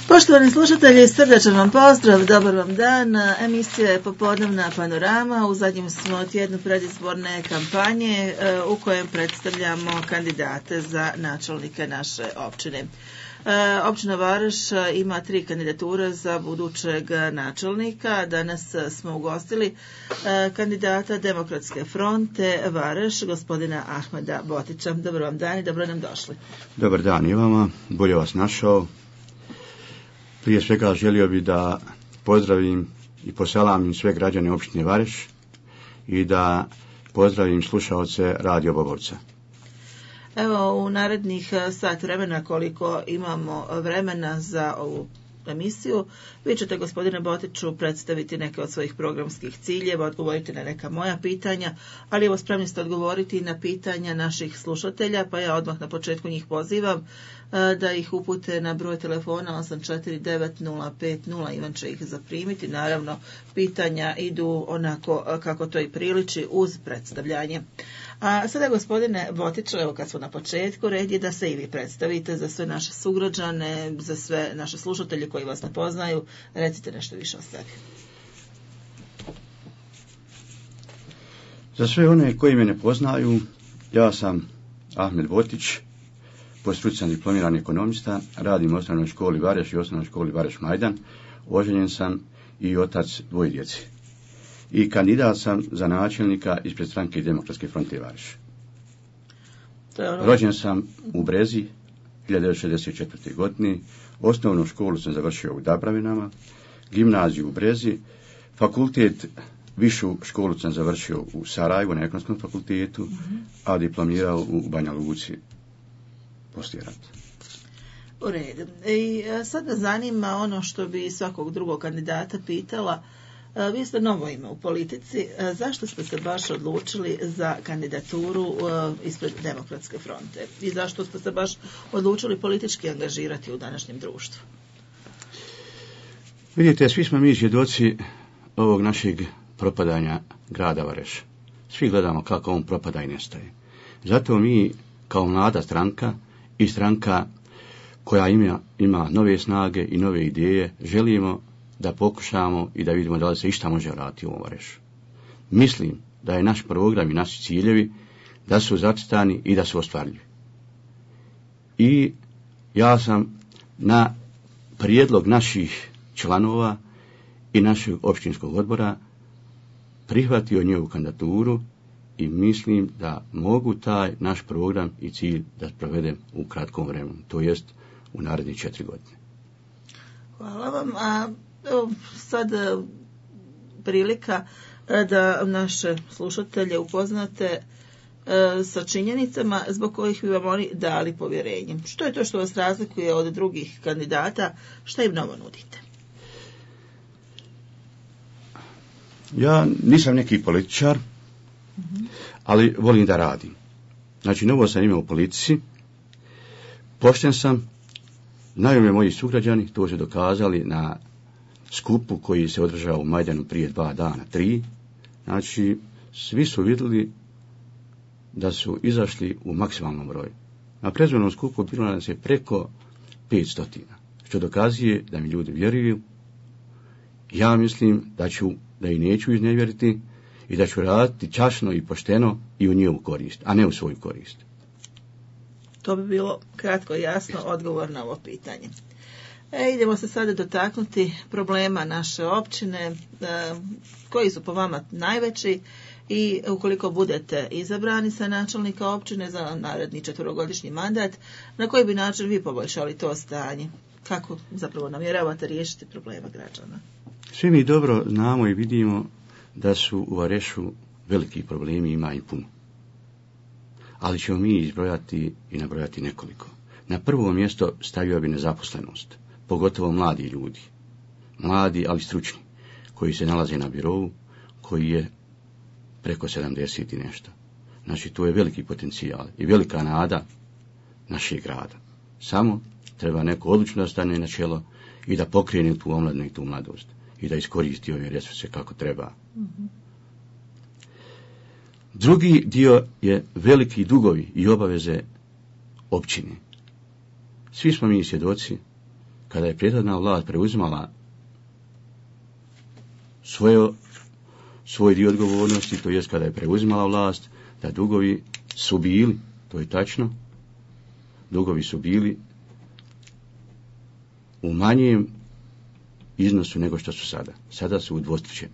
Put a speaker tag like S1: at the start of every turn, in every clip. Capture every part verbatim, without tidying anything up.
S1: Poštovani slušatelji, srdečan vam pozdrav, dobar vam dan. Emisija je Popodnevna panorama. U zadnjem smo tjednu predizborne kampanje u kojem predstavljamo kandidate za načelnike naše općine. Općina Vareš ima tri kandidature za budućeg načelnika. Danas smo ugostili kandidata Demokratske fronte Vareš, gospodina Ahmeda Botića. Dobar vam dan i dobro nam došli.
S2: Dobar dan i vama, bolje vas našao. Prije svega želio bih da pozdravim i poselamim sve građane općine Vareš i da pozdravim slušaoce Radio Bobovca.
S1: Evo, u narednih sat vremena, koliko imamo vremena za ovu emisiju, vi ćete, gospodine Botiću, predstaviti neke od svojih programskih ciljeva, odgovoriti na neka moja pitanja, ali evo spremni ste odgovoriti na pitanja naših slušatelja, pa ja odmah na početku njih pozivam da ih upute na broj telefona osam četiri devet nula pet nula. Ivan će ih zaprimiti. Naravno, pitanja idu onako kako to i priliči uz predstavljanje. A sada, gospodine Botiću, evo kad smo na početku, red je da se i vi predstavite za sve naše sugrađane, za sve naše slušatelje koji vas ne poznaju. Recite nešto više o sebi.
S2: Za sve one koji me ne poznaju, ja sam Ahmed Botić, po struci sam diplomirani ekonomista, radim u osnovnoj školi Vareš i osnovnoj školi Vareš Majdan, oženjen sam i otac dvoje djece. I kandidat sam za načelnika ispred stranke Demokratske fronte Vareš. Ono... Rođen sam u Brezi hiljadu devetsto šezdeset četvrte. godine, osnovnu školu sam završio u Dabravinama, gimnaziju u Brezi, fakultet, višu školu sam završio u Sarajevu na ekonomskom fakultetu, mm-hmm. a diplomirao u Banja Luci poslije rata.
S1: U redu. I sad me zanima ono što bi svakog drugog kandidata pitala. Vi ste novo ime u politici. Zašto ste se baš odlučili za kandidaturu ispred Demokratske fronte? I zašto ste se baš odlučili politički angažirati u današnjem društvu?
S2: Vidite, svi smo mi svjedoci ovog našeg propadanja grada Vareš. Svi gledamo kako on propada i nestaje. Zato mi kao mlada stranka i stranka koja ima, ima nove snage i nove ideje, želimo da pokušamo i da vidimo da li se išta može vratiti u ovom Varešu. Mislim da je naš program i naši ciljevi da su zacrtani i da su ostvarljivi. I ja sam na prijedlog naših članova i našeg općinskog odbora prihvatio njegovu kandidaturu i mislim da mogu taj naš program i cilj da provedem u kratkom vremenu, to jest u narednih četiri godine.
S1: Hvala vam. A evo, sad prilika da naše slušatelje upoznate sa činjenicama zbog kojih bi vam oni dali povjerenje. Što je to što vas razlikuje od drugih kandidata? Šta im novo nudite?
S2: Ja nisam neki političar, mm-hmm. ali volim da radim. Znači, novo sam imao u politici, pošten sam, znaju me moji sugrađani, to su dokazali na skupu koji se održao u Majdanu prije dva dana, tri. Znači, svi su vidjeli da su izašli u maksimalnom broju. Na predizbornom skupu bilo nas je preko petstotina, što dokazuje da mi ljudi vjeruju. Ja mislim da ću, da i neću iznevjeriti i da ću raditi časno i pošteno i u njihovu korist, a ne u svoju korist.
S1: To bi bilo kratko i jasno odgovor na ovo pitanje. E, idemo se sada dotaknuti problema naše općine, e, koji su po vama najveći i ukoliko budete izabrani sa načelnika općine za naredni četverogodišnji mandat, na koji bi način vi poboljšali to stanje? Kako zapravo namjeravate riješiti problema građana?
S2: Svi mi dobro znamo i vidimo da su u Varešu veliki problemi, ima i puno. Ali ćemo mi izbrojati i nabrojati nekoliko. Na prvo mjesto stavio bi nezaposlenost, pogotovo mladi ljudi. Mladi, ali stručni, koji se nalaze na birovu, koji je preko sedamdeset i nešto. Znači, tu je veliki potencijal i velika nada našeg grada. Samo treba neko odlučno da stane na čelo i da pokrene tu omladnu i tu mladost i da iskoristi ove resurse kako treba. Mm-hmm. Drugi dio je veliki dugovi i obaveze općine. Svi smo mi svjedoci kada je prethodna vlast preuzimala svoje, svoj dio odgovornosti, to jest kada je preuzimala vlast, da dugovi su bili, to je tačno, dugovi su bili u manjem iznosu nego što su sada. Sada su udvostručeni.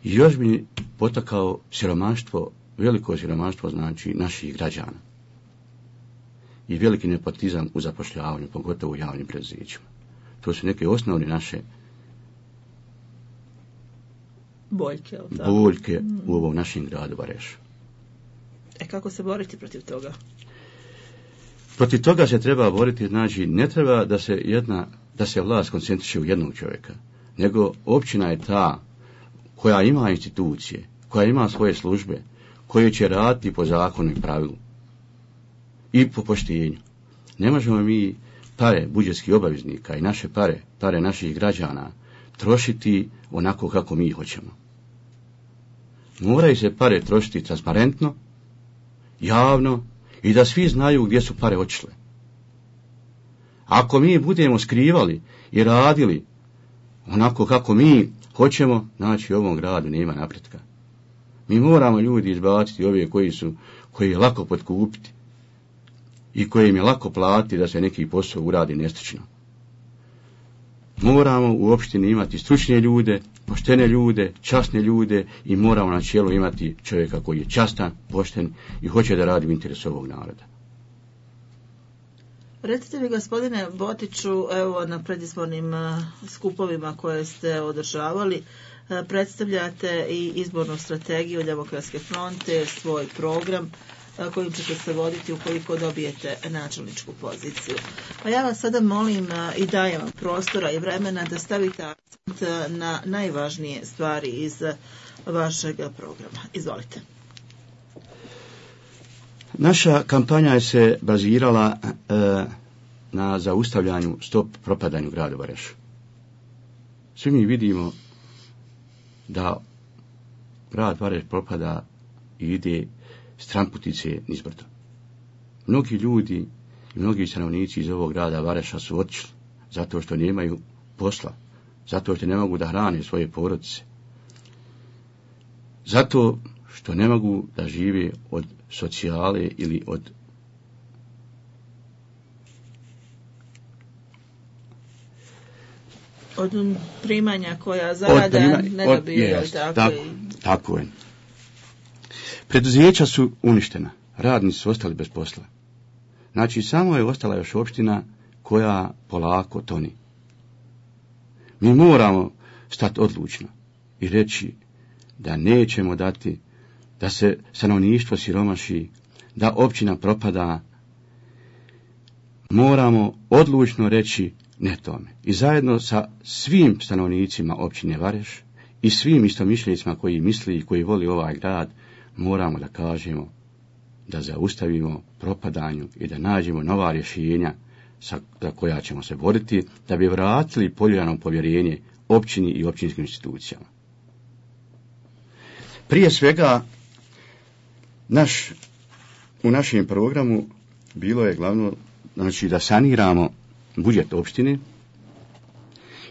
S2: I još bi potakao siromaštvo, veliko siromaštvo znači naših građana. I veliki nepotizam u zapošljavanju, pogotovo u javnim preduzećima. To su neke osnovne naše
S1: boljke,
S2: boljke mm. u ovom našem gradu Varešu.
S1: E kako se boriti protiv toga?
S2: Protiv toga se treba boriti, znači ne treba da se jedna, da se vlast koncentriše u jednog čovjeka, nego općina je ta koja ima institucije, koja ima svoje službe, koje će raditi po zakonu i pravilu i po poštenju. Ne možemo mi pare budžetskih obaveznika i naše pare, pare naših građana trošiti onako kako mi hoćemo. Moraju se pare trošiti transparentno, javno i da svi znaju gdje su pare otišle. Ako mi budemo skrivali i radili onako kako mi hoćemo, znači u ovom gradu nema napretka. Mi moramo ljudi izbaciti ove koji su, koji je lako potkupiti i koji im je lako platiti da se neki posao uradi nestručno. Moramo u opštini imati stručne ljude, poštene ljude, časne ljude i moramo na čelu imati čovjeka koji je častan, pošten i hoće da radi u interesu ovog naroda.
S1: Recite mi, gospodine Botiću, evo na predizbornim skupovima koje ste održavali, predstavljate i izbornu strategiju Demokratske fronte, svoj program kojim ćete se voditi ukoliko dobijete načelničku poziciju. Pa ja vas sada molim i dajem vam prostora i vremena da stavite akcent na najvažnije stvari iz vašeg programa. Izvolite.
S2: Naša kampanja je se bazirala e, na zaustavljanju stop propadanju grada Vareša. Svi mi vidimo da grad Vareš propada i ide stramputice nizbrdo. Mnogi ljudi i mnogi stanovnici iz ovog grada Vareša su otišli zato što nemaju posla, zato što ne mogu da hrane svoje porodice, zato što ne mogu da žive od socijale ili od
S1: od primanja koja zarada prima, ne dobiju.
S2: Od, tako, tako, tako je. Preduzeća su uništena, radnici su ostali bez posla. Znači samo je ostala još opština koja polako toni. Mi moramo stati odlučno i reći da nećemo dati da se stanovništvo siromaši, da općina propada. Moramo odlučno reći ne tome. I zajedno sa svim stanovnicima općine Vareš i svim istomišljenicima koji misli i koji voli ovaj grad, moramo da kažemo da zaustavimo propadanju i da nađemo nova rješenja sa, za koja ćemo se boriti, da bi vratili poljuljano povjerenje općini i općinskim institucijama. Prije svega, naš, u našem programu bilo je glavno, znači, da saniramo budžet opštine,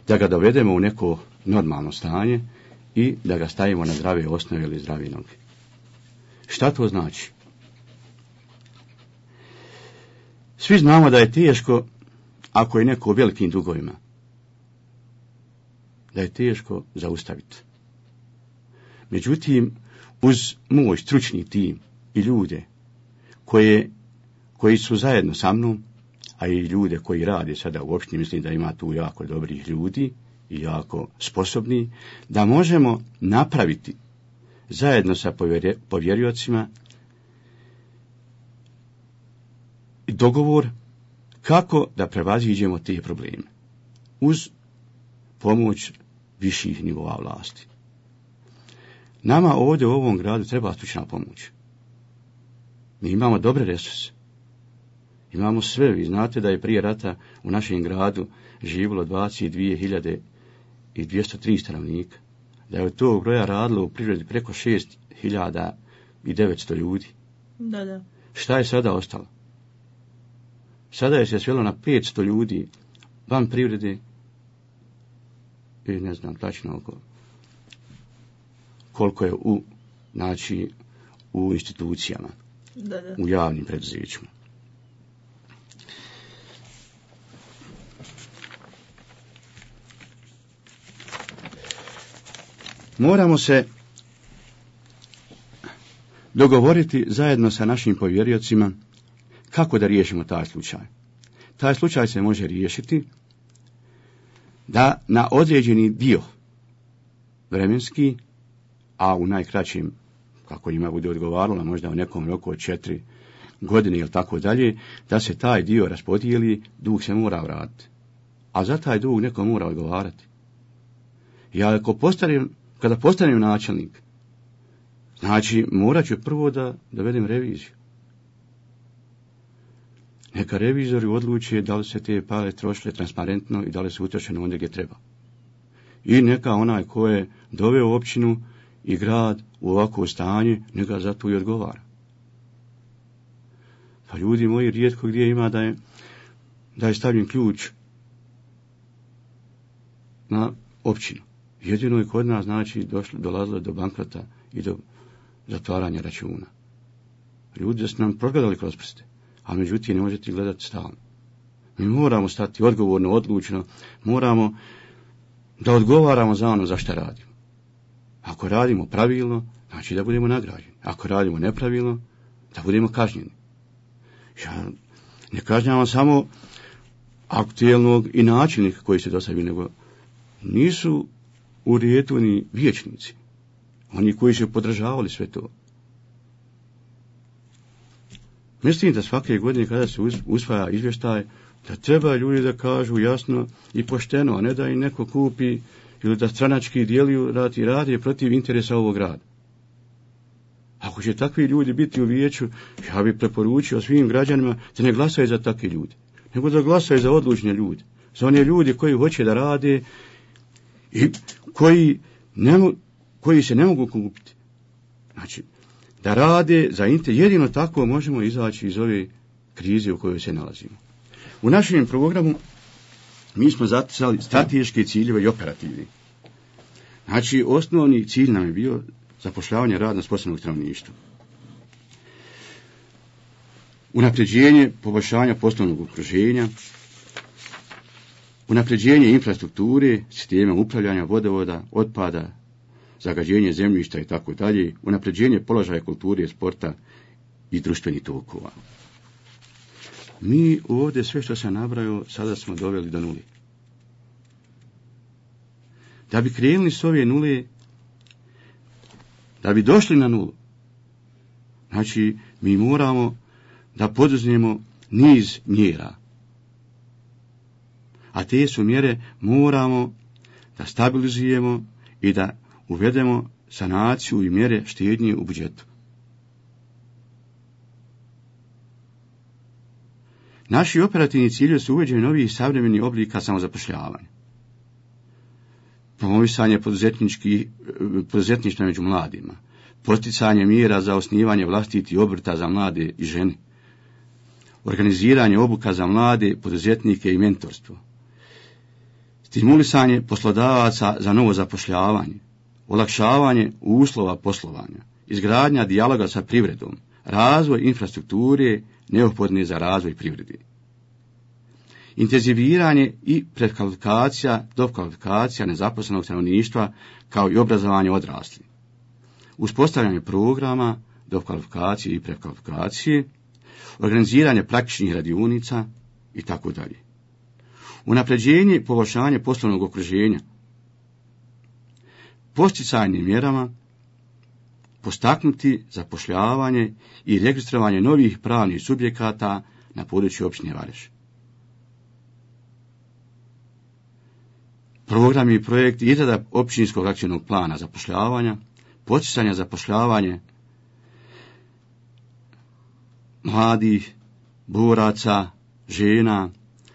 S2: da ga dovedemo u neko normalno stanje i da ga stavimo na zdrave osnove ili zdrave noge. Šta to znači? Svi znamo da je teško ako je neko u velikim dugovima, da je teško zaustaviti. Međutim, uz moj stručni tim i ljude koje, koji su zajedno sa mnom, a i ljude koji rade sada u opštini, mislim da ima tu jako dobrih ljudi i jako sposobni, da možemo napraviti zajedno sa povjeriocima dogovor kako da prevaziđemo te probleme uz pomoć viših nivoa vlasti. Nama ovdje u ovom gradu treba stručna pomoć. Mi imamo dobre resurse. Imamo sve. Vi znate da je prije rata u našem gradu živjelo dvadeset dvije hiljade dvjesto tri stanovnika. Da je od tog broja radilo u privredi preko šest hiljada devetsto ljudi.
S1: Da, da.
S2: Šta je sada ostalo? Sada je se svelo na petsto ljudi van privrede i ne znam tačno oko koliko je u, znači, u institucijama,
S1: da, da.
S2: u javnim preduzećima. Moramo se dogovoriti zajedno sa našim povjeriocima kako da riješimo taj slučaj. Taj slučaj se može riješiti da na određeni dio vremenski, a u najkraćim, kako njima bude odgovaralo, možda u nekom roku od četiri godine ili tako dalje, da se taj dio raspodijeli, dug se mora vratiti. A za taj dug neko mora odgovarati. Ja ako postanem, kada postanem načelnik, znači morat ću prvo da dovedem reviziju. Neka revizori odluče da li se te pare trošile transparentno i da li su utrošene ondje gdje treba. I neka onaj ko je doveo općinu i grad u ovakvo stanje, neka za to i odgovara. Pa ljudi moji, rijetko gdje ima da je, da je stavljen ključ na općinu. Jedino je kod nas, znači, došlo, dolazilo do bankrota i do zatvaranja računa. Ljudi su nam progledali kroz prste, a međutim ne možete gledati stalno. Mi moramo stati odgovorno, odlučno, moramo da odgovaramo za ono za što radimo. Ako radimo pravilno, znači da budemo nagrađeni. Ako radimo nepravilno, da budemo kažnjeni. Ja ne kažnjavam samo aktuelnog i načelnika koji se dostavili, nego nisu u redu ni vijećnici. Oni koji su podržavali sve to. Mislim da svake godine kada se usvaja izvještaj, da treba ljudi da kažu jasno i pošteno, a ne da im neko kupi ili da stranački dijeliju rad i radi protiv interesa ovog grada. Ako će takvi ljudi biti u vijeću, ja bih preporučio svim građanima da ne glasaju za takve ljude, nego da glasaju za odlučne ljude, za one ljudi koji hoće da rade i koji, ne, koji se ne mogu kupiti. Znači, da rade za inter, jedino tako možemo izaći iz ove krize u kojoj se nalazimo. U našem programu mi smo zaticali strateške ciljeve i operativne. Znači, osnovni cilj nam je bio zapošljavanje radno sposobnog stanovništva. Unapređenje poboljšanja poslovnog okruženja, unapređenje infrastrukture, sistema upravljanja vodovoda, otpada, zagađenje zemljišta i tako dalje, unapređenje položaja kulture, sporta i društvenih tokova. Mi ovdje sve što sam nabrojao sada smo doveli do nule. Da bi krenuli s ove nule, da bi došli na nulu, znači mi moramo da poduzmemo niz mjera. A te su mjere moramo da stabilizujemo i da uvedemo sanaciju i mjere štednje u budžetu. Naši operativni ciljevi su uvođenje novih savremenih oblika samozapošljavanja. Promovisanje poduzetništva među mladima, posticanje mjera za osnivanje vlastitih obrta za mlade i žene, organiziranje obuka za mlade, poduzetnike i mentorstvo, stimulisanje poslodavaca za novo zapošljavanje, olakšavanje uslova poslovanja, izgradnja dijaloga sa privredom, razvoj infrastrukture neophodne za razvoj privrede. Intenziviranje i prekvalifikacija, dokvalifikacija nezaposlenog stanovništva kao i obrazovanje odraslih. Uspostavljanje programa dokvalifikacije i prekvalifikacije, organiziranje praktičnih radionica i tako dalje. Unapređenje i poboljšanje poslovnog okruženja. Posticajnim mjerama postaknuti zapošljavanje i registrovanje novih pravnih subjekata na području općine Vareš. Programi i projekti izrada općinskog akcijnog plana zapošljavanja, poticanja zapošljavanje mladih, boraca, žena,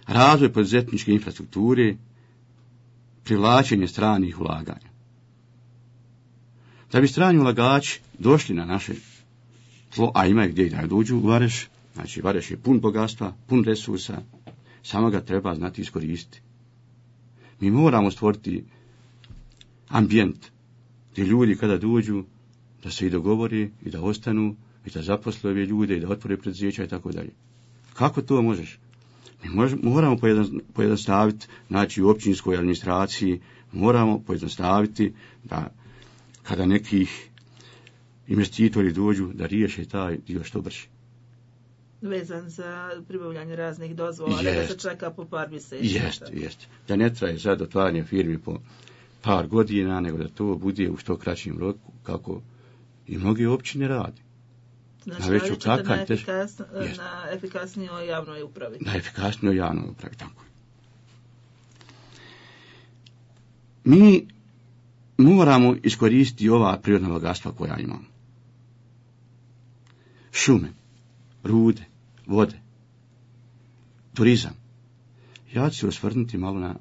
S2: razvoj poduzetničke infrastrukture, privlačenje stranih ulaganja. Da bi strani ulagači došli na naše tlo, a ima gdje i da dođu u Vareš, Znači, Vareš je pun bogatstva, pun resursa, samo ga treba znati iskoristiti. Mi moramo stvoriti ambijent gdje ljudi kada dođu da se i dogovori i da ostanu i da zaposle ove ljude i da otvore preduzeća i tako dalje. Kako to možeš? Mi moramo pojednostaviti, znači u općinskoj administraciji moramo pojednostaviti da kada nekih investitori dođu da riješe taj dio što brže.
S1: Vezan za pribavljanje raznih dozvola, da se čeka po par mjeseci.
S2: Jeste, jeste. Da ne traje sad otvaranje firmi po par godina, nego da to bude u što kraćim roku, kako i mnoge općine radi.
S1: Znači, na veću kakanj, na, efikasno, na efikasnijoj javnoj upravi.
S2: Na efikasnijoj javnoj upravi, tako. Mi moramo iskoristiti ova prirodna bogatstva koja imamo. Šume, rude, vode, turizam. Ja ću se osvrnuti malo na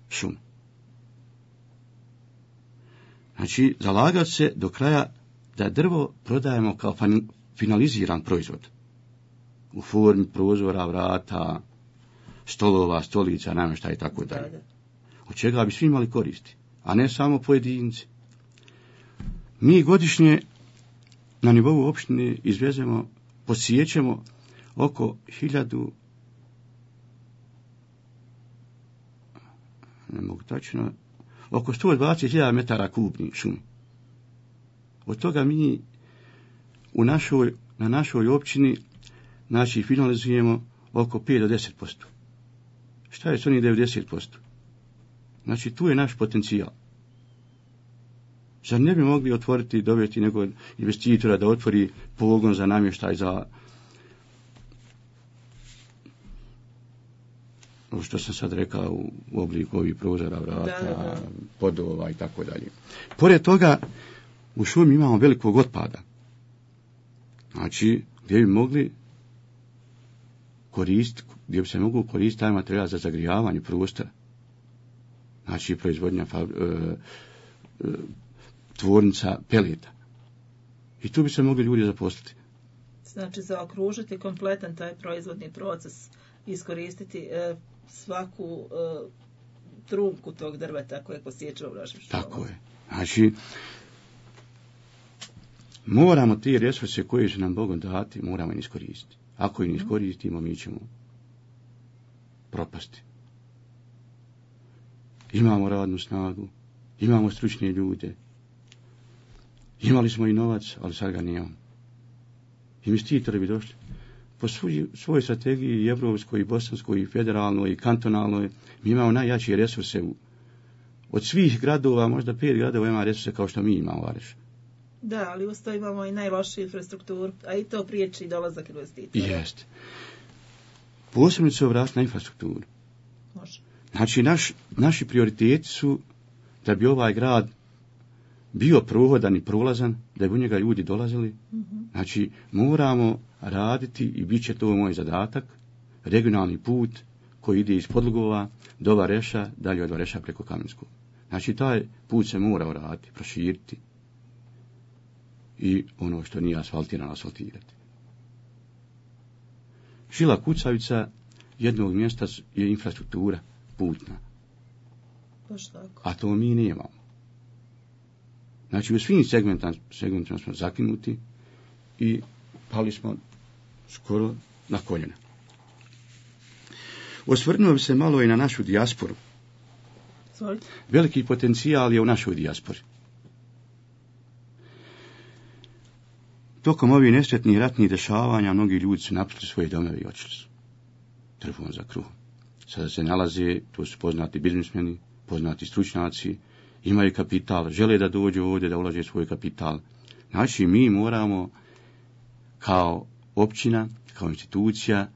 S2: šume. Znači, zalagati se do kraja da drvo prodajemo kao finaliziran proizvod. U formi prozora, vrata, stolova, stolica, namještaja i tako dalje. Od čega bi svi imali koristi, a ne samo pojedinci. Mi godišnje na nivou opštine izvezemo, posjećemo oko hiljadu, ne mogu tačno, oko sto dvadeset hiljada metara kubnih šumi. Od toga mi u našoj, na našoj općini znači finalizujemo oko pet do deset posto. Šta je s onih devedeset posto? Znači tu je naš potencijal. Zar ne bi mogli otvoriti i dovesti nekog investitora da otvori pogon za namještaj za ovo što sam sad rekao u obliku ovih prozora, vrata, da, da. podova i tako dalje. Pored toga u šumi imamo velikog otpada. Znači gdje bi mogli koristiti, gdje bi se mogu koristiti taj materijal za zagrijavanje prostora. Znači proizvodnja e, e, tvornica peleta. I tu bi se mogli ljudi zaposliti.
S1: Znači zaokružiti kompletan taj proizvodni proces, iskoristiti e, svaku e, trunku tog drveta koje posjećamo u našim šumama.
S2: Tako je. Znači moramo te resurse koje su nam Bogom dati, moramo ih iskoristiti. Ako ih ne iskoristimo, mi ćemo propasti. Imamo radnu snagu, imamo stručne ljude, imali smo i novac, ali sad ga nemamo. Investitori bi došli. Po svoj, svojoj strategiji, i evropskoj, i bosanskoj, i federalnoj, i kantonalnoj, mi imamo najjačije resurse. U, od svih gradova, možda pet gradova ima resurse kao što mi imamo, Vareš.
S1: Da, ali uz to imamo i najlošiju infrastrukturu, a i to priječi dolazak investitora.
S2: Jeste. Posebno se obratiti na infrastrukturu.
S1: Može.
S2: Znači, naš, naši prioriteti su da bi ovaj grad bio prohodan i prolazan, da bi u njega ljudi dolazili. Mm-hmm. Znači, moramo raditi, i bit će to moj zadatak, regionalni put koji ide iz Podlugova do Vareša, dalje od Vareša preko Kamenskog. Znači, taj put se mora uraditi, proširiti i ono što nije asfaltirano, asfaltirati. Žila kucavica jednog mjesta je infrastruktura putna. A to mi nemamo. Znači u svim segmentima, segmentima smo zakinuti i pali smo skoro na koljena. Osvrnuo bi se malo i na našu dijasporu.
S1: Sorry.
S2: Veliki potencijal je u našoj dijaspori. Tokom ovih nesretnih ratnih dešavanja mnogi ljudi su napustili svoje domove i otišli su trbuhom za kruhom. Sada se nalaze, to su poznati biznismeni, poznati stručnjaci, imaju kapital, žele da dođu ovdje, da ulaže svoj kapital. Znači, mi moramo kao općina, kao institucija,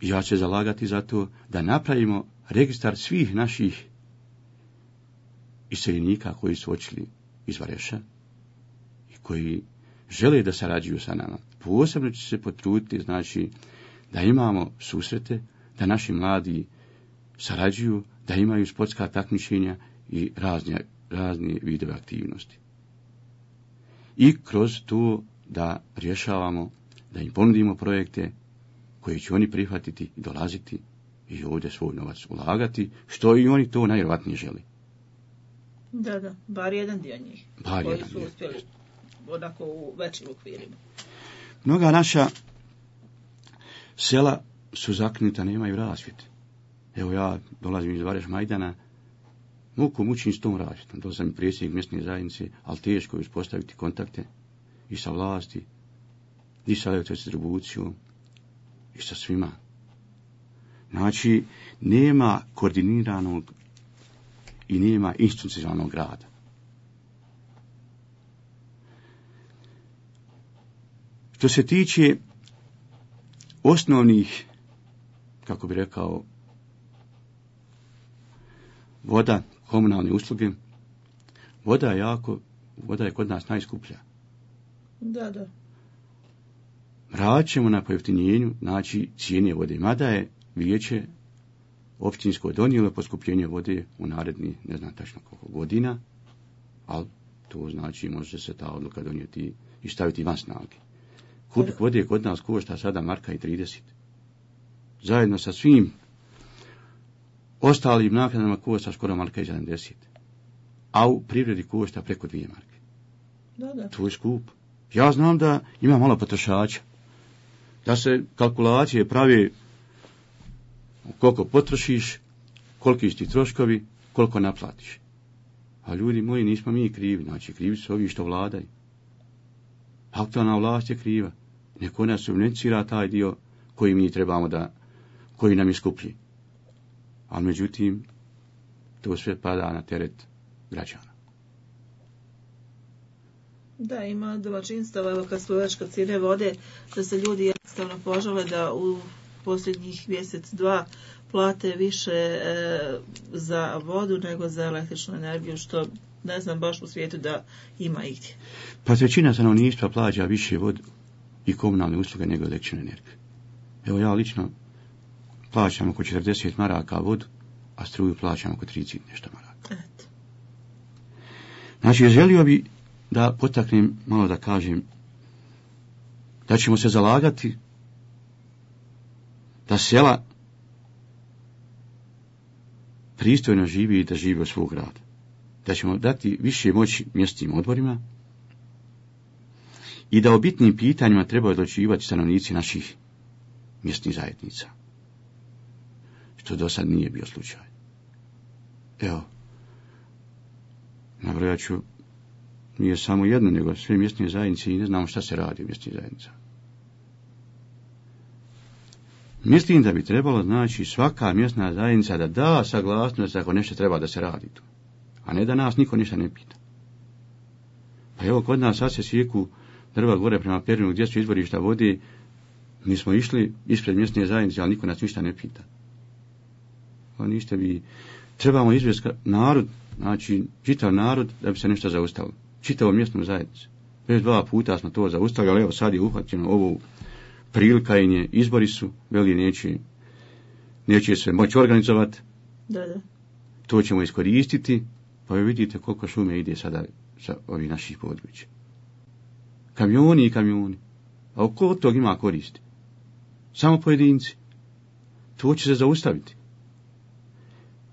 S2: ja ću zalagati za to, da napravimo registar svih naših iseljenika koji su otišli iz Vareša i koji žele da sarađuju sa nama. Posebno će se potruditi, znači, da imamo susrete, da naši mladi sarađuju, da imaju sportska takmičenja i razne, razne vidove aktivnosti. I kroz to da rješavamo, da im ponudimo projekte koji će oni prihvatiti i dolaziti i ovdje svoj novac ulagati, što i oni to najvjerojatnije želi.
S1: Da, da, bar jedan dio njih,
S2: bar
S1: koji
S2: jedan
S1: su uspjeli onako u većim okvirima.
S2: Mnoga naša sela su zakinuta, nemaju rasvjete. Evo ja dolazim iz Vareš Majdana, muku mučim s tom rasvjetom. Dolazim i predsjednik mjesne zajednice, ali teško je uspostaviti kontakte i sa vlasti, i sa elektrodistribucijom, i sa svima. Znači, nema koordiniranog i nema institucionalnog rada. Što se tiče osnovnih, kako bi rekao, voda, komunalne usluge, voda je jako, voda je kod nas najskuplja.
S1: Da, da.
S2: Radit ćemo na pojeftinjenju, znači cijene vode, mada je vijeće općinsko donijelo poskupljenje vode u naredni, ne znam tačno koliko godina, ali to znači može se ta odluka donijeti i staviti van snage. Kubik vode kod nas košta sada marka i trideset. Zajedno sa svim ostalim naknadama košta skoro marka i sedamdeset. A u privredi košta preko dvije marke.
S1: Da, da.
S2: To je skup. Ja znam da ima malo potrošača. Da se kalkulacije pravi koliko potrošiš, koliki su ti troškovi, koliko naplatiš. A ljudi moji, nismo mi krivi, znači krivi su ovi što vladaju. Aktualna vlast je kriva. Neko nas subvencionira taj dio koji mi trebamo da, koji nam je skuplji. Ali međutim, to sve pada na teret građana.
S1: Da, ima domaćinstava, evo kad smo već kod cijene vode, da se ljudi jednostavno požale da u posljednjih mjesec, dva plate više e, za vodu nego za električnu energiju, što ne znam baš u svijetu da ima igdje.
S2: Pa većina stanovništva plaća više vodu i komunalne usluge nego električnu energiju. Evo ja lično plaćam oko četrdeset maraka vodu, a struju plaćam oko trideset nešto maraka.
S1: Eto.
S2: Znači, želio bi da potaknem, malo da kažem, da ćemo se zalagati da sela pristojno živi i da živi od svog rada. Da ćemo dati više moći mjesnim odborima i da o bitnim pitanjima trebaju odlučivati stanovnici naših mjesnih zajednica. Što do sad nije bio slučaj. Evo, nabrojat ću, nije samo jedno, nego sve mjesne zajednice i ne znamo šta se radi u mjesnih zajednicama. Mislim da bi trebalo, znači, svaka mjesna zajednica da da saglasnost ako nešto treba da se radi tu. A ne da nas niko ništa ne pita. Pa evo, kod nas sad se sjeku drva gore prema Perinu gdje su izvorišta vode, mi smo išli ispred mjesne zajednice, ali niko nas ništa ne pita. Pa ništa bi, trebamo izvesti narod, znači čitav narod da bi se nešto zaustavilo. Čitavu mjesnu zajednicu. Već dva puta smo to zaustavili, ali evo sad je uhvaćeno ovo prilika i nje, izbori su, veli neće, neće se moći organizovati.
S1: Da, da.
S2: To ćemo iskoristiti, pa vi vidite koliko šume ide sada sa ovih naših područja. Kamioni i kamioni. A oko od tog ima koristi? Samo pojedinci. To će se zaustaviti.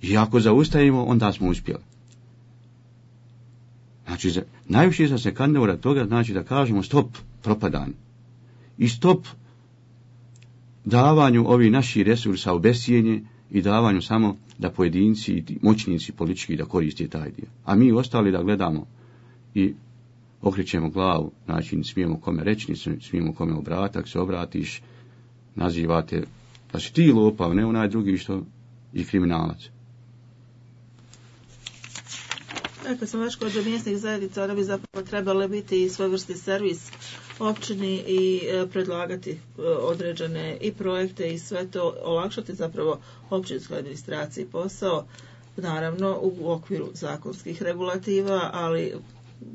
S2: I ako zaustavimo, onda smo uspjeli. Znači, za, najviše sam se kandidovao toga, znači da kažemo stop propadanju. I stop davanju ovih naših resursa u bescijenje i davanju samo da pojedinci i moćnici politički da koriste taj dio. A mi ostali da gledamo i okrećemo glavu, znači ne smijemo kome reći, ne smijemo kome obratiti, ako se obratiš, nazivate da si ti lopao, ne onaj drugi što i kriminalac.
S1: Dakle, sam već kod mjesnih zajednica, ona bi zapravo trebala biti i svojvrsti servis općini i e, predlagati e, određene i projekte i sve to, olakšati zapravo općinskoj administraciji posao, naravno u okviru zakonskih regulativa, ali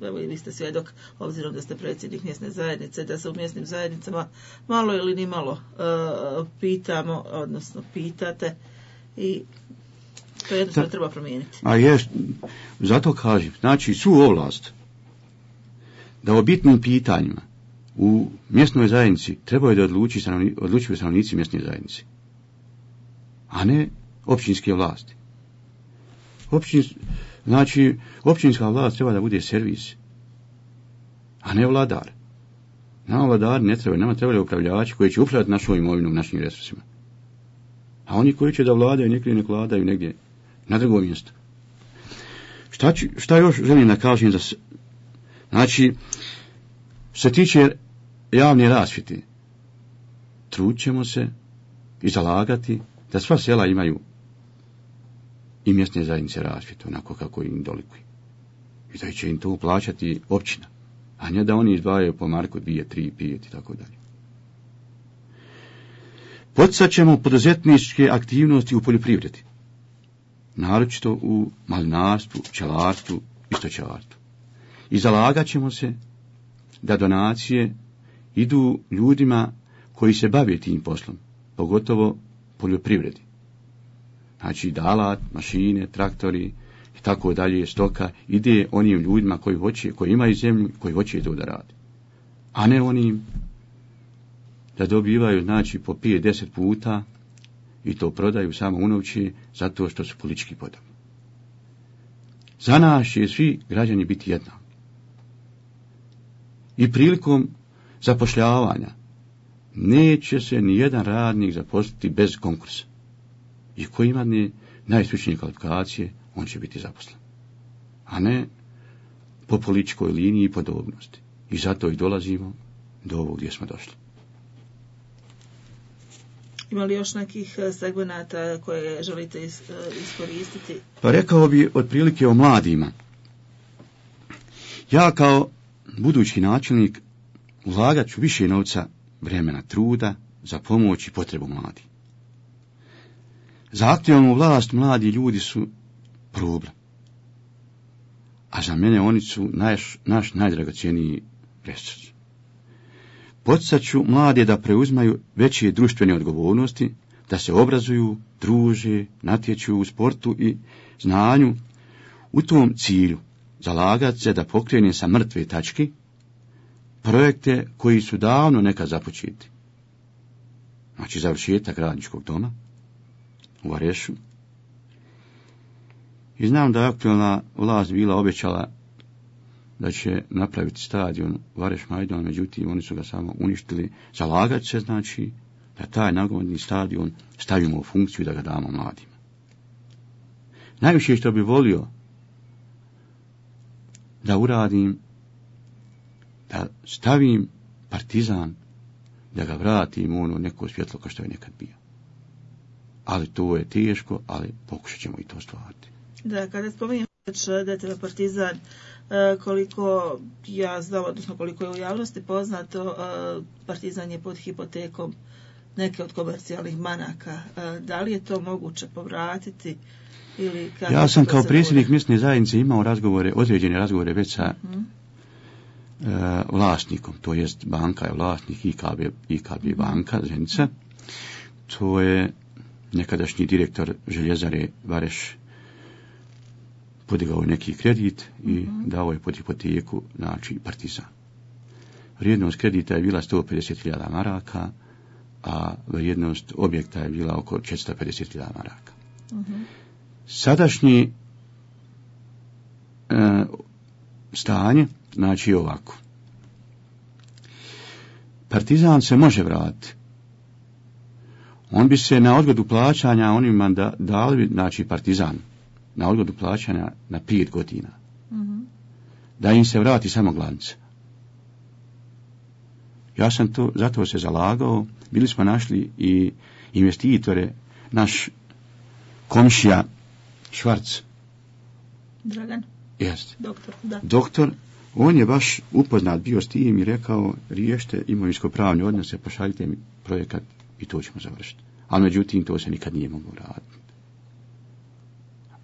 S1: evo i vi ste svjedok, obzirom da ste predsjednik mjesne zajednice, da se u mjesnim zajednicama malo ili ni malo e, pitamo, odnosno pitate i to jednostavno treba promijeniti.
S2: A jest, zato kažem, znači su ovlast da o bitnim pitanjima U mjesnoj zajednici trebaju da odluči stanovni, odlučuju stanovnici mjesne zajednice, a ne općinske vlasti. Općin, znači, općinska vlast treba da bude servis, a ne vladar. Nama vladari ne trebaju, nama trebaju upravljači koji će upravljati našom imovinom, našim resursima. A oni koji će da vladaju, nekli nek vladaju negdje na drugo mjesto. Šta, ću, šta još želim da kažem? Da se, znači, što se tiče javne rasvjete, trud ćemo se i zalagati da sva sela imaju i mjesne zajednice rasvjetu, onako kako im dolikuje. I da će im to plaćati općina, a ne da oni izdvajaju po marku dvije, tri, pijet i tako dalje. Poticat ćemo poduzetničke aktivnosti u poljoprivredi, naročito u malinarstvu, pčelarstvu i stočarstvu. I zalagat ćemo se da donacije idu ljudima koji se bave tim poslom, pogotovo poljoprivredi. Znači dalat, mašine, traktori i tako dalje, stoka, ide onim ljudima koji hoće, koji imaju zemlju, koji hoće to da radi. A ne onim da dobivaju, znači, po pet, deset puta i to prodaju samo unovće zato što su politički podobni. Za nas će svi građani biti jednaki. I prilikom zapošljavanja neće se ni jedan radnik zaposliti bez konkursa. I koji ima ne najstručnije kvalifikacije, on će biti zaposlen. A ne po političkoj liniji i podobnosti. I zato i dolazimo do ovog gdje smo došli.
S1: Ima li još nekih segmenata koje želite iskoristiti?
S2: Pa rekao bi otprilike o mladima. Ja kao budući načelnik ulagat ću više novca, vremena, truda za pomoć i potrebu mladih. Za aktualnu vlast mladi ljudi su problem. A za mene oni su naš, naš najdragocjeniji resurs. Poticat ću mlade da preuzmaju veće društvene odgovornosti, da se obrazuju, druže, natječu u sportu i znanju. U tom cilju zalagat se da pokrene sa mrtve tačke projekte koji su davno nekad započeti. Znači završetak radničkog doma u Varešu. I znam da je aktualna vlast bila obećala da će napraviti stadion Vareš Majdon, međutim oni su ga samo uništili. Zalagat se, znači, da taj nogometni stadion stavimo u funkciju i da ga damo mladima. Najviše što bi volio da uradim, da stavim Partizan, da ga vratim u ono neko svjetlo kao što je nekad bio. Ali to je teško, ali pokušat ćemo i to stvariti.
S1: Da, kada spominjem da je tebe Partizan, koliko ja znam, odnosno koliko je u javnosti poznato, Partizan je pod hipotekom neke od komercijalnih banaka. Da li je to moguće povratiti? Ili kako?
S2: Ja sam kao predsjednik mjesne zajednice imao razgovore, određene razgovore već sa uh-huh. e, vlasnikom, to jest banka je vlasnik I K B, I K B banka Zenica. To je nekadašnji direktor željezare Vareš, podigao je neki kredit i uh-huh. dao je pod hipoteku, znači Partizan. Vrijednost kredita je bila sto pedeset hiljada maraka, a vrijednost objekta je bila oko četiristo pedeset hiljada maraka. Uh-huh. Sadašnji e, stanje, znači ovako. Partizan se može vratiti. On bi se na odgodu plaćanja onima da, dali, znači Partizan, na odgodu plaćanja na pet godina. Mm-hmm. Da im se vrati samo glavnica. Ja sam to, zato se zalagao, bili smo našli i investitore, naš komšija Švarc.
S1: Dragan?
S2: Jest.
S1: Doktor, da.
S2: Doktor, on je baš upoznat bio s tim i rekao, riješite imovinsko-pravne odnose, pošaljite mi projekat i to ćemo završiti. Ali međutim, to se nikad nije moglo raditi.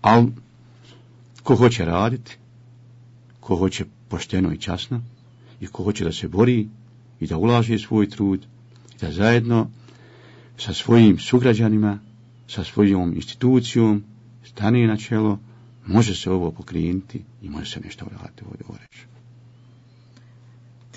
S2: Ali, ko hoće raditi, ko hoće pošteno i časno, i ko hoće da se bori i da ulaže svoj trud, i da zajedno sa svojim sugrađanima, sa svojom institucijom, stane na čelo, može se ovo pokrenuti i može se nešto uraditi u ovoj reći.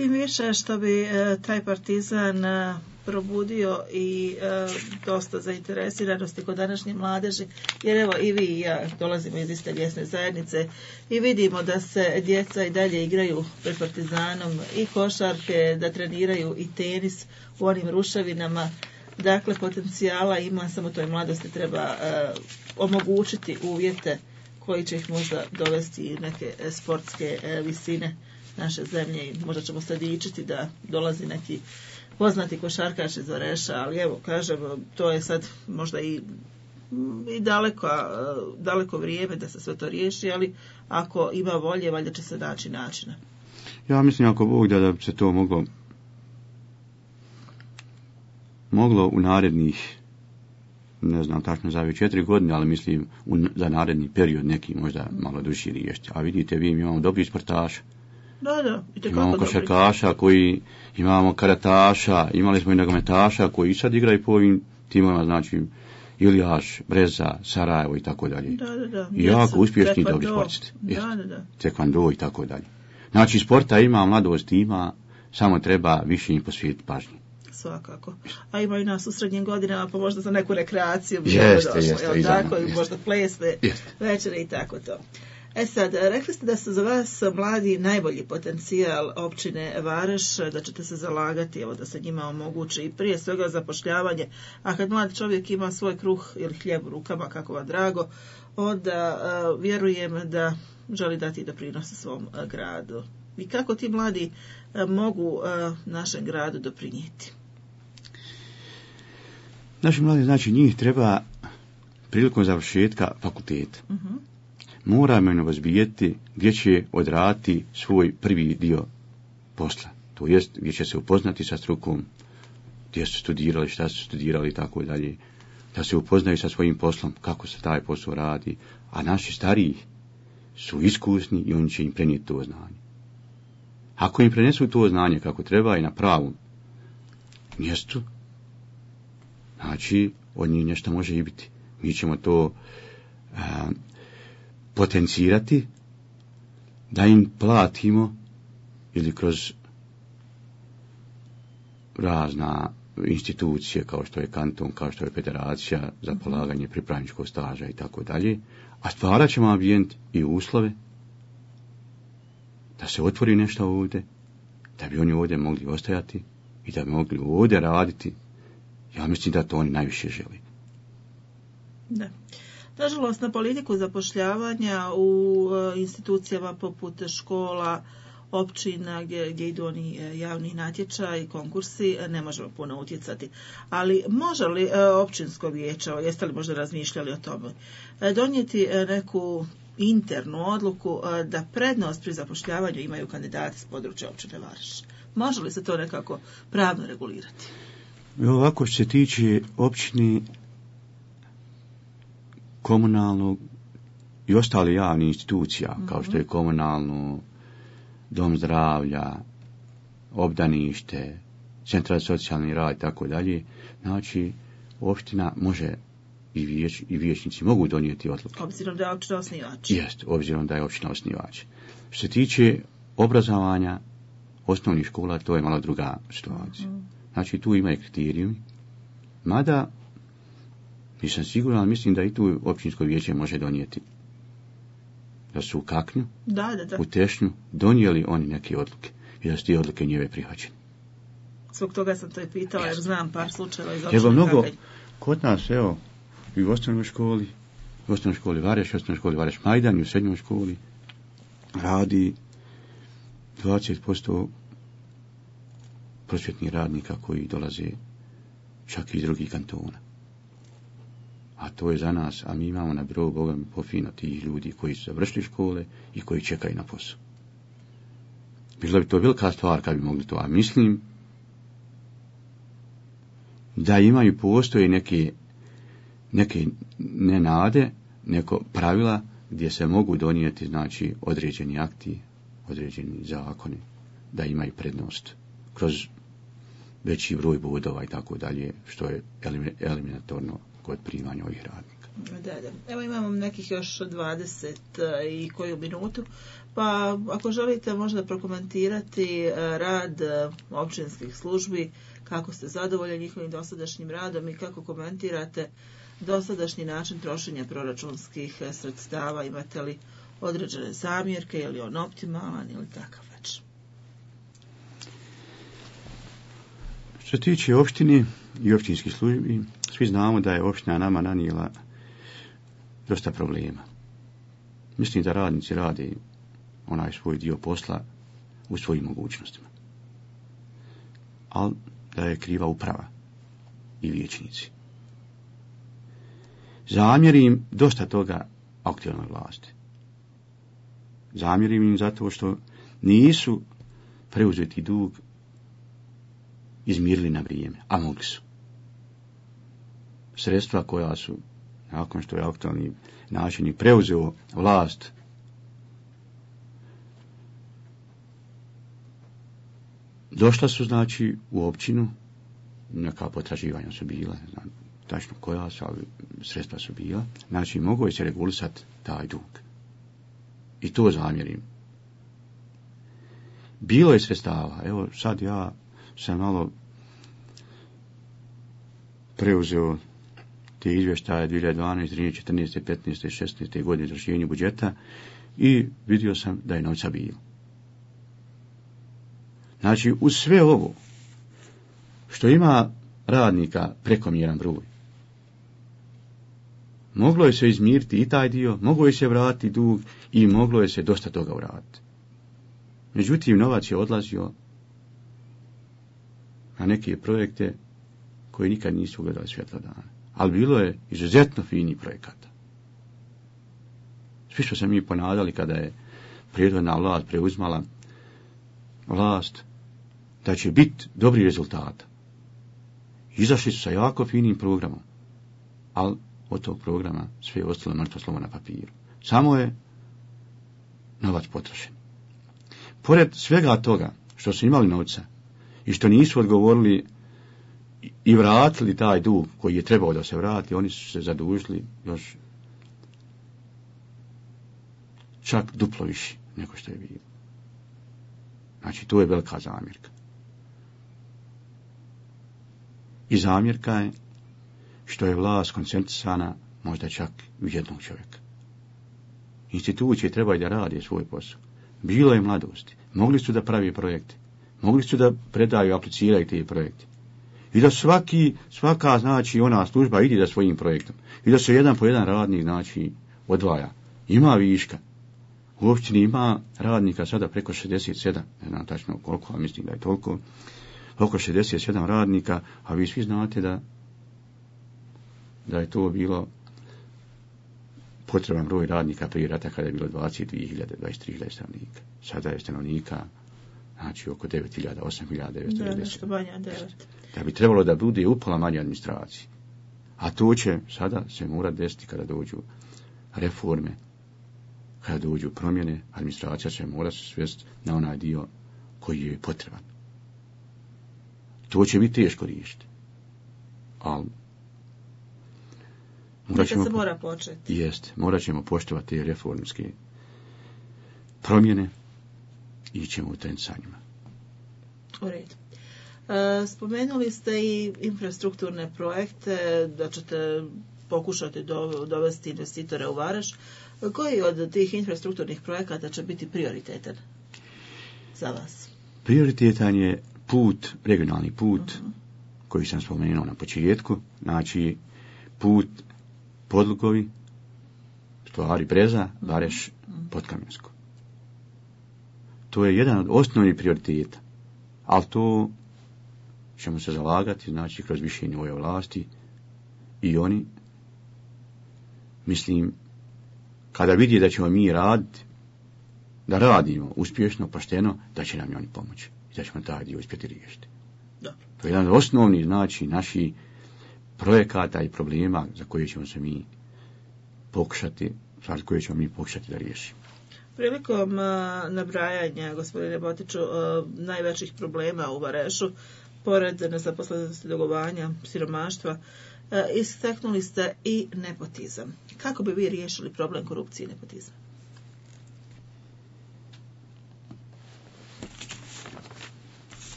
S1: Tim više što bi e, taj Partizan e, probudio i e, dosta zainteresiranosti kod današnje mladeži, jer evo i vi i ja dolazimo iz iste mjesne zajednice i vidimo da se djeca i dalje igraju pred Partizanom i košarke, da treniraju i tenis u onim ruševinama. Dakle, potencijala ima, samo toj mladosti treba e, omogućiti uvjete koji će ih možda dovesti neke sportske e, visine naše zemlje i možda ćemo se dičiti da dolazi neki poznati košarkaš iz Vareša, ali evo, kažem, to je sad možda i, i daleko, daleko vrijeme da se sve to riješi, ali ako ima volje, valjda će se naći načina.
S2: Ja mislim, ako Bog da, da bi se to moglo moglo u narednih, ne znam tačno za četiri godine, ali mislim u, za naredni period neki možda malo duži riješiti. A vidite, vi imamo dobri sportaša.
S1: Da, da,
S2: imamo košarkaša koji, imamo karataša, imali smo i nogometaša koji sad igraju po ovim timovima, znači Iljaš, Breza, Sarajevo i tako dalje.
S1: Da, da, da.
S2: I jako uspješni dobri sportisti.
S1: Da, da, da.
S2: Tekvando i tako dalje. Znači sporta ima, mladost ima, samo treba više im posvetiti pažnje.
S1: Svakako. A ima i nas u srednjim godinama, pa možda za neku rekreaciju bi
S2: jeste,
S1: došlo,
S2: jeste,
S1: jel tako, i možda plesne večere i tako to. E sad, rekli ste da su za vas mladi najbolji potencijal općine Vareš, da ćete se zalagati, evo, da se njima omogući i prije svega zapošljavanje, a kad mlad čovjek ima svoj kruh ili hljeb u rukama, kako vam drago, onda uh, vjerujem da želi dati doprinos svom uh, gradu. I kako ti mladi uh, mogu uh, našem gradu doprinijeti?
S2: Naši mladi, znači, njih treba prilikom završetka fakulteta. Uh-huh. Moramo im razbijeti gdje će odraditi svoj prvi dio posla. To jest gdje će se upoznati sa strukom, gdje su studirali, šta su studirali i tako dalje. Da se upoznaju sa svojim poslom, kako se taj posao radi. A naši stariji su iskusni i oni će im prenijeti to znanje. Ako im prenesu to znanje kako treba i na pravom mjestu, znači od njih nešto može i biti. Mi ćemo to a, potencirati, da im platimo ili kroz razna institucije kao što je kanton, kao što je federacija za polaganje pripravničkog staža i tako dalje, a stvarat ćemo ambijent i uslove da se otvori nešto ovdje, da bi oni ovdje mogli ostajati i da bi mogli ovdje raditi. Ja mislim da to oni najviše želi.
S1: Da. Nažalost, na politiku zapošljavanja u institucijama poput škola, općina gdje, gdje idu oni javni natječaji, konkursi, ne možemo puno utjecati. Ali može li općinsko vijeće, jeste li možda razmišljali o tome, donijeti neku internu odluku da prednost pri zapošljavanju imaju kandidati s područja općine Vareš? Može li se to nekako pravno regulirati?
S2: Ovako što se tiče općine, komunalnog i ostale javne institucija, mm-hmm. kao što je komunalno, dom zdravlja, obdanište, centar za socijalni rad i tako dalje, znači opština može i, vijeć, i vijećnici mogu donijeti odluke.
S1: Obzirom da je općina osnivač.
S2: Jest, obzirom da je općina osnivač. Što se tiče obrazovanja osnovnih škola, to je malo druga situacija. Mm-hmm. Znači tu ima i kriterijumi, mada nisam siguran, ali mislim da i tu općinsko vijeće može donijeti. Da su u Kaknju,
S1: da, da, da.
S2: u Tešnju donijeli oni neke odluke i da su ti odluke njeve prihvaćene.
S1: Zbog toga sam to i pitala, jer znam par slučajeva iz
S2: općine mnogo Kaknj. Kod nas, evo, i u osnovnoj školi, u osnovnoj školi Vareš, u osnovnoj školi Vareš Majdan i u srednjoj školi radi dvadeset posto prosvjetnih radnika koji dolaze čak iz drugih kantona. A to je za nas, a mi imamo na birou Boga mi pofino tih ljudi koji su završili škole i koji čekaju na posao. Bila bi to velika stvar kad bi mogli to, a mislim da imaju postoje neke, neke nenade, neko pravila gdje se mogu donijeti, znači, određeni akti, određeni zakoni, da imaju prednost kroz veći broj bodova i tako dalje, što je eliminatorno kod primanja ovih radnika.
S1: Da, da. Evo imamo nekih još dvadeset i koju minutu, pa ako želite možda prokomentirati rad općinskih službi, kako ste zadovoljni njihovim dosadašnjim radom i kako komentirate dosadašnji način trošenja proračunskih sredstava, imate li određene zamjerke, je li on optimalan ili takav već?
S2: Što se tiče opštine i općinskih službi, svi znamo da je opština nama nanijela dosta problema. Mislim da radnici rade onaj svoj dio posla u svojim mogućnostima. Ali da je kriva uprava i vijećnici. Zamjerim dosta toga aktualnoj vlasti. Zamjerim im zato što nisu preuzeti dug izmirili na vrijeme, a mogli su. Sredstva koja su, nakon što je aktualni načelnik preuzeo vlast, došla su, znači, u općinu, neka potraživanja su bila, ne znam tačno koja su, ali sredstva su bila, znači mogo je se regulisati taj dug. I to zamjerim. Bilo je sredstava, evo sad ja sam malo preuzeo te izvještaje dvije hiljade dvanaeste, trinaeste, četrnaeste, petnaeste i šesnaeste godine izvršenja budžeta i vidio sam da je novca bilo. Znači, uz sve ovo, što ima radnika prekomjeran broj, moglo je se izmiriti i taj dio, moglo je se vratiti dug i moglo je se dosta toga uraditi. Međutim, novac je odlazio na neke projekte koji nikad nisu ugledali svjetla dana. Ali bilo je izuzetno fini projekata. Svi što se mi ponadali kada je prethodna vlast preuzmala vlast, da će biti dobri rezultata. Izašli su sa jako finim programom, ali od tog programa sve je ostalo mrtvo slovo na papiru. Samo je novac potrošen. Pored svega toga što su imali novca i što nisu odgovorili i vratili taj dug koji je trebao da se vrati, oni su se zadužili još čak duplo više nego što je bilo. Znači, to je velika zamjerka. I zamjerka je što je vlast koncentrisana možda čak u jednog čovjeka. Institucije trebaju da rade svoj posao. Bilo je mladosti. Mogli su da pravi projekte. Mogli su da predaju, apliciraju te projekte. I da svaki, svaka, znači, ona služba ide da svojim projektom. I da se jedan po jedan radnik, znači, odvaja. Ima viška. U općini ima radnika sada preko šezdeset sedam, ne znam tačno koliko, a mislim da je toliko, oko šezdeset sedam radnika, a vi svi znate da, da je to bilo potreban broj radnika prije rata kada je bilo dvadeset dvije hiljade, dvadeset tri hiljade stanovnika. Sada je stanovnika, znači, oko devet hiljada, osam hiljada devetsto devedeset. Da, nešto manje od devet. Da bi trebalo da bude upola manje administracije. A to će sada se mora desiti kada dođu reforme, kada dođu promjene, administracija će mora se svesti na onaj dio koji je potreban. To će biti teško riješiti. Ali morat ćemo,
S1: se mora početi.
S2: Jest, morat ćemo poštovati te reformske promjene i ćemo u trend sa njima.
S1: U redu. E, spomenuli ste i infrastrukturne projekte, da ćete pokušati do, dovesti investitore u Vareš. Koji od tih infrastrukturnih projekata će biti prioritetan za vas?
S2: Prioritetan je put, regionalni put, uh-huh. koji sam spomenuo na početku, znači put Podlugovi, Stvari Breza, Vareš, uh-huh. Podkamjensko. To je jedan od osnovnih prioriteta, ali to ćemo se zalagati, znači kroz mišljenje ove vlasti i oni, mislim, kada vidi da ćemo mi raditi, da radimo uspješno, pošteno, da će nam i oni pomoći i da ćemo taj dio uspjeti riješiti. Dobro. To je jedan od osnovnih, znači, naših projekata i problema za koje ćemo se mi pokušati, za koje ćemo mi pokušati da riješimo.
S1: Prilikom uh, nabrajanja, gospodine Botiću, uh, najvećih problema u Varešu, pored nezaposlenosti, dugovanja, siromaštva, istaknuli ste i nepotizam. Kako bi vi riješili problem korupcije i nepotizma?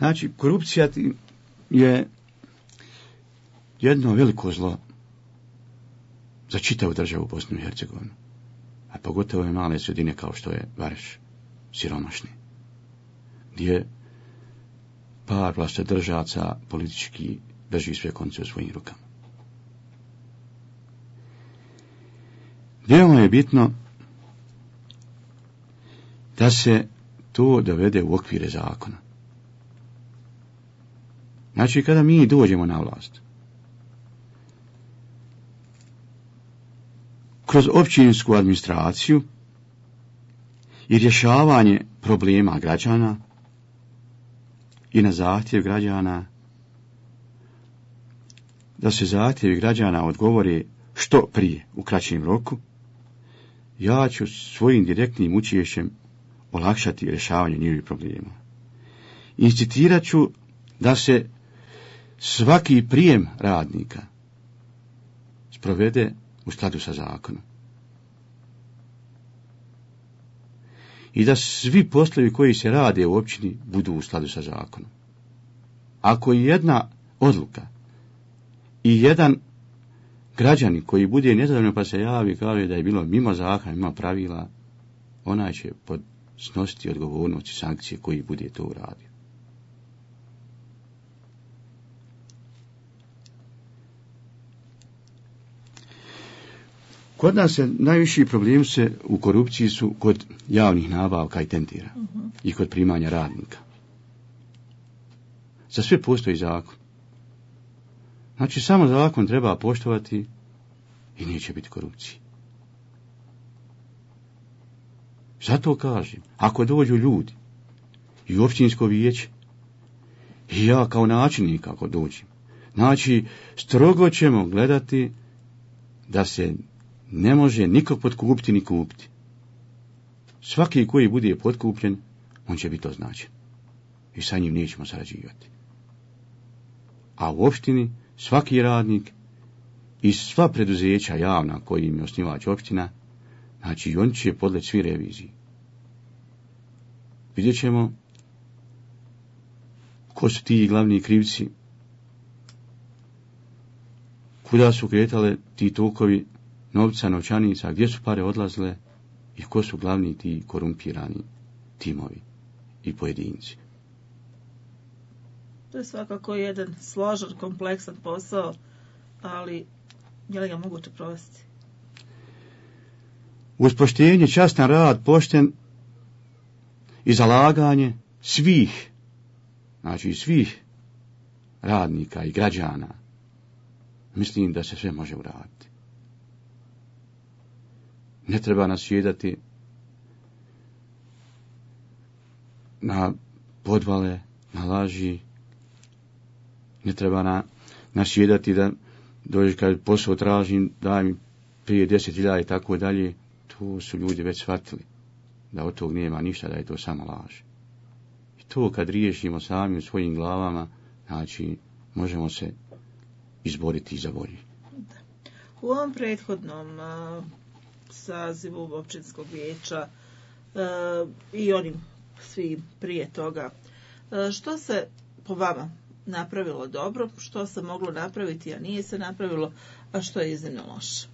S2: Znači, korupcija je jedno veliko zlo za čitavu državu Bosnu i Hercegovinu, a pogotovo je male sredine kao što je Vareš, siromašni, gdje par vlastodržaca politički drži sve konce u svojim rukama. Veoma je bitno da se to dovede u okvire zakona. Znači, kada mi dođemo na vlast, kroz općinsku administraciju i rješavanje problema građana i na zahtjev građana, da se zahtjevi građana odgovore što prije, u kraćem roku, ja ću svojim direktnim učešćem olakšati rješavanje njihovih problema. Incitirat ću da se svaki prijem radnika sprovede u skladu sa zakonom. I da svi poslovi koji se rade u općini budu u skladu sa zakonom. Ako je jedna odluka i jedan građanin koji bude nezadovoljan pa se javi i kaže da je bilo mimo zakona, mimo pravila, onaj će snositi odgovornost i sankcije koji bude to uradio. Kod nas se najviši problemi se u korupciji su kod javnih nabavka i tendera uh-huh. i kod primanja radnika. Za sve postoji zakon. Znači, samo zakon treba poštovati i neće biti korupcije. Zato kažem, ako dođu ljudi i u općinsko vijeće, i ja kao načelnik ako dođem, znači, strogo ćemo gledati da se ne može nikog potkupiti ni kupiti. Svaki koji bude potkupljen, on će biti označen. I sa njim nećemo sarađivati. A u opštini svaki radnik i sva preduzeća javna koji im je osnivač opština, znači on će podleći svi reviziji. Vidjet ćemo ko su ti glavni krivci, kuda su kretale ti tokovi novca, novčanica, gdje su pare odlazile i ko su glavni ti korumpirani timovi i pojedinci.
S1: To je svakako jedan složen, kompleksan posao, ali je li ga moguće provesti?
S2: Uz poštenje, častan rad, pošten i zalaganje svih, znači svih radnika i građana, mislim da se sve može uraditi. Ne treba nasjedati na podvale, na laži, ne treba na, nasjedati da dođe kad posao tražim, daj mi prije deset hiljada i tako dalje. To su ljudi već shvatili da od tog nema ništa, da je to samo laž. I to kad riješimo sami u svojim glavama, znači možemo se izboriti za bolje.
S1: U ovom prethodnom uh, sazivu općinskog vijeća uh, i onim svi prije toga, uh, što se po vama napravilo dobro, što se moglo napraviti, a nije se napravilo, a što je iznimno loše?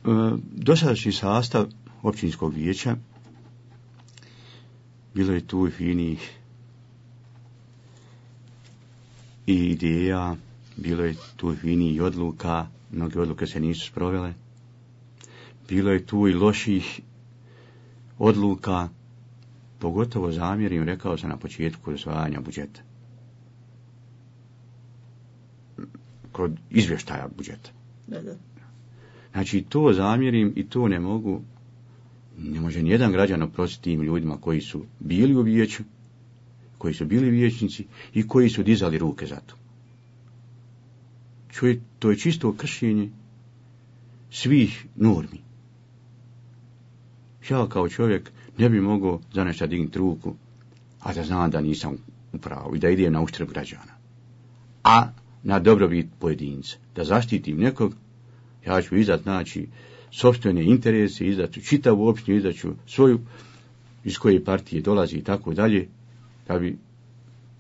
S2: Uh, dosadašnji sastav općinskog vijeća, bilo je tu i finih i ideja, bilo je tu i odluka, mnoge odluke se nisu sprovele, bilo je tu i loših odluka, pogotovo zamjerim, rekao sam na početku usvajanja budžeta, kod izvještaja budžeta.
S1: Da, da.
S2: Znači, to zamjerim i to ne mogu, ne može nijedan građan oprostiti tim ljudima koji su bili u vijeću, koji su bili vijećnici i koji su dizali ruke za to. Čuje, to je čisto kršenje svih normi. Ja kao čovjek ne bi mogao za nešto dignuti ruku, a da znam da nisam u pravu i da idem na uštrb građana. A na dobrobit pojedinca, da zaštitim nekog, ja ću izdat, znači, sopstvene interese, izdat ću čitavu općinu, izdat ću svoju, iz koje partije dolazi i tako dalje, da bi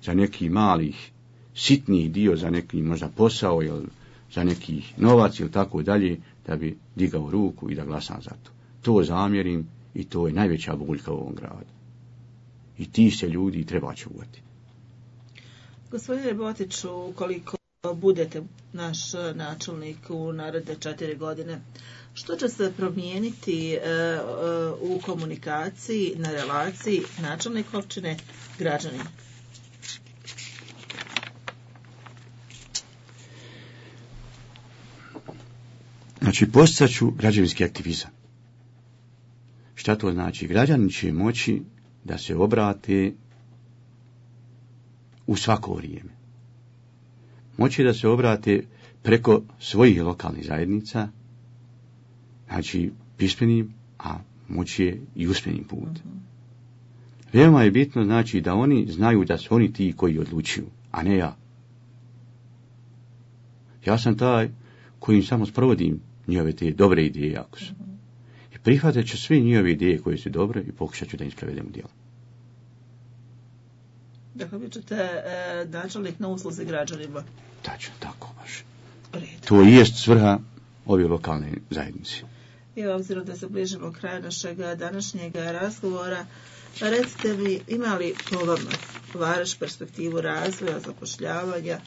S2: za neki malih, sitniji dio, za neki možda posao ili za neki novac ili tako dalje, da bi digao ruku i da glasam za to. To zamjerim i to je najveća boljka u ovom gradu. I ti se ljudi treba čuvati.
S1: Gospodine Botiću, ukoliko budete naš načelnik u naredne četiri godine, što će se promijeniti e, e, u komunikaciji, na relaciji načelnik općine građanin?
S2: Znači, posticat ću građevinski aktivizam. Šta to znači? Građani će moći da se obrate u svako vrijeme. Moći da se obrate preko svojih lokalnih zajednica, znači pismenim, a moći je i usmenim putem. Veoma je bitno, znači, da oni znaju da su oni ti koji odlučuju, a ne ja. Ja sam taj koji samo sprovodim njihove te dobre ideje, ako su. I prihvatat ću sve njihove ideje koje su dobre i pokušat ću da im sprovedem u djelo.
S1: Dakle, vi ćete e, načelnik na usluzi građanima.
S2: Tačno, tako baš.
S1: Red.
S2: To i jest svrha ove lokalne zajednice.
S1: I obzirom da se bližimo kraju našeg današnjeg razgovora, recite mi, ima li po vama Vareš perspektivu razvoja, zapošljavanja,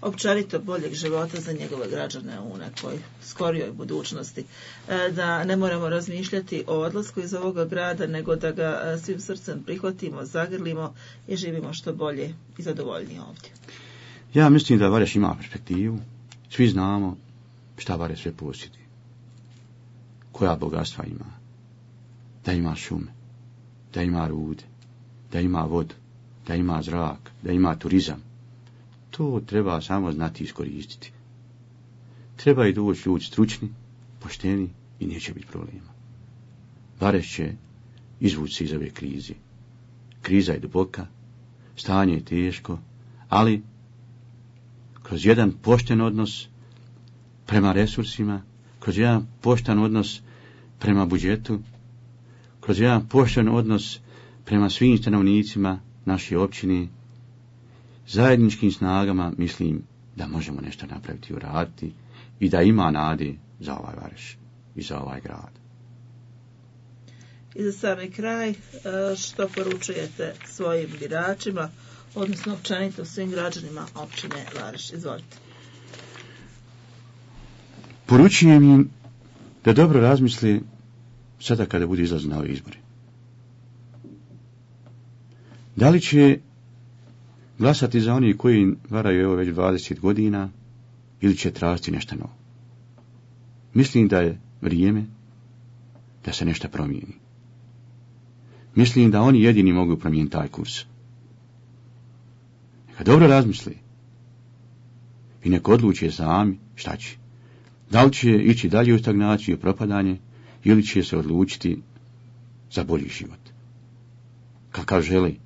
S1: općenito boljeg života za njegove građane u nekoj skorijoj budućnosti, da ne moramo razmišljati o odlasku iz ovoga grada, nego da ga svim srcem prihvatimo, zagrlimo i živimo što bolje i zadovoljnije ovdje?
S2: Ja mislim da Vareš ima perspektivu. Svi znamo šta Vareš sve posjedi, koja bogatstva ima, da ima šume, da ima rude, da ima vodu, da ima zrak, da ima turizam. To treba samo znati iskoristiti. Treba i doći ljudi stručni, pošteni i neće biti problema. Vareš će izvući se iz ove krize. Kriza je duboka, stanje je teško, ali kroz jedan pošten odnos prema resursima, kroz jedan pošten odnos prema budžetu, kroz jedan pošten odnos prema svim stanovnicima naše općine, zajedničkim snagama mislim da možemo nešto napraviti i uraditi i da ima nade za ovaj Vareš i za ovaj grad.
S1: I za sami kraj, što poručujete svojim biračima, odnosno općenito svim građanima općine Vareš? Izvolite.
S2: Poručujem im da dobro razmisli sada kada bude izlaz na ove izbore. Da li će glasati za oni koji varaju evo već dvadeset godina ili će tražiti nešto novo? Mislim da je vrijeme da se nešto promijeni. Mislim da oni jedini mogu promijeniti taj kurs. Neka dobro razmisli i neka odluče sami šta će. Da li će ići dalje u stagnaciju i propadanje ili će se odlučiti za bolji život, kakav želi.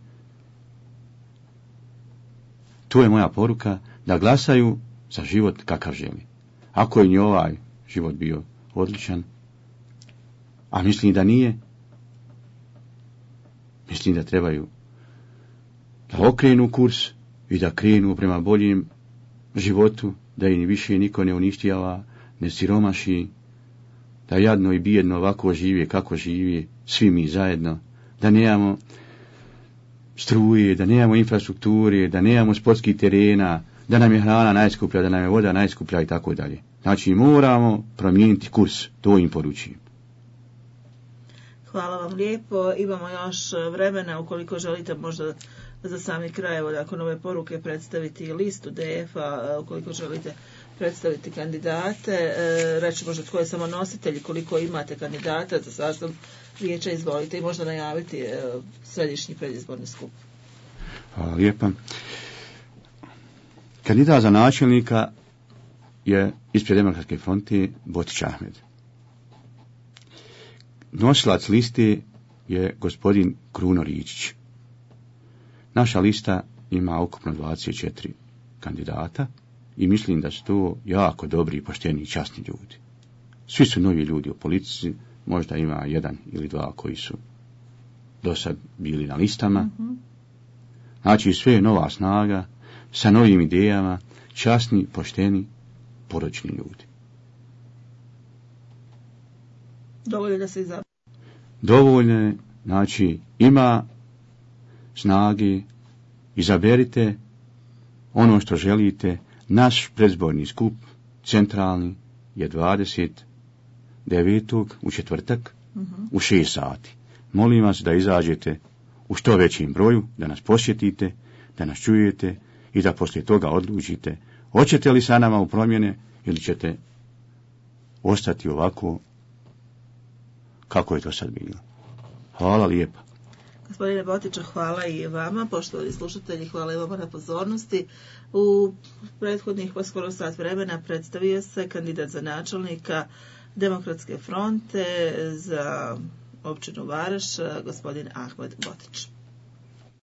S2: To je moja poruka, da glasaju za život kakav želi. Ako je i ovaj život bio odličan, a mislim da nije, mislim da trebaju da okrenu kurs i da krenu prema boljem životu, da im više niko ne uništijava, ne siromaši, da jadno i bijedno ovako žive kako žive, svi mi zajedno, da nemamo struje, da nemamo infrastrukture, da nemamo sportskih terena, da nam je hrana najskuplja, da nam je voda najskuplja i tako dalje. Znači moramo promijeniti kurs, to im poručujem.
S1: Hvala vam lijepo, imamo još vremena ukoliko želite možda za sami kraj, evo nakon ove poruke predstaviti listu D F-a, ukoliko želite predstaviti kandidate, reći možda tko je samo nositelj, koliko imate kandidata za sastav vijeća, izvolite i možda najaviti središnji predizborni skup.
S2: Hvala lijepa. Kandidat za načelnika je ispred Demokratske fronte Botić Ahmed. nosilac liste je gospodin Kruno Ričić. Naša lista ima ukupno dvadeset četiri kandidata i mislim da su to jako dobri, pošteni i časni ljudi. Svi su novi ljudi u politici, možda ima jedan ili dva koji su do sad bili na listama. Mm-hmm. Znači sve je nova snaga, sa novim idejama, časni, pošteni, poročni ljudi.
S1: Dovoljno da se izaberu.
S2: Dovoljno je, znači ima snage, izaberite ono što želite. Naš predizborni skup, centralni, je dvadeset devetog u četvrtak, uh-huh. u šest sati. Molim vas da izađete u što većim broju, da nas posjetite, da nas čujete i da poslije toga odlučite hoćete li sa nama u promjene ili ćete ostati ovako kako je to sad bilo. Hvala lijepa.
S1: Gospodine Botiću, hvala i vama, poštovani slušatelji, hvala i vama na pozornosti. U prethodnih pa skoro sat vremena predstavio se kandidat za načelnika Demokratske fronte za općinu Vareš, gospodin Ahmed Botić.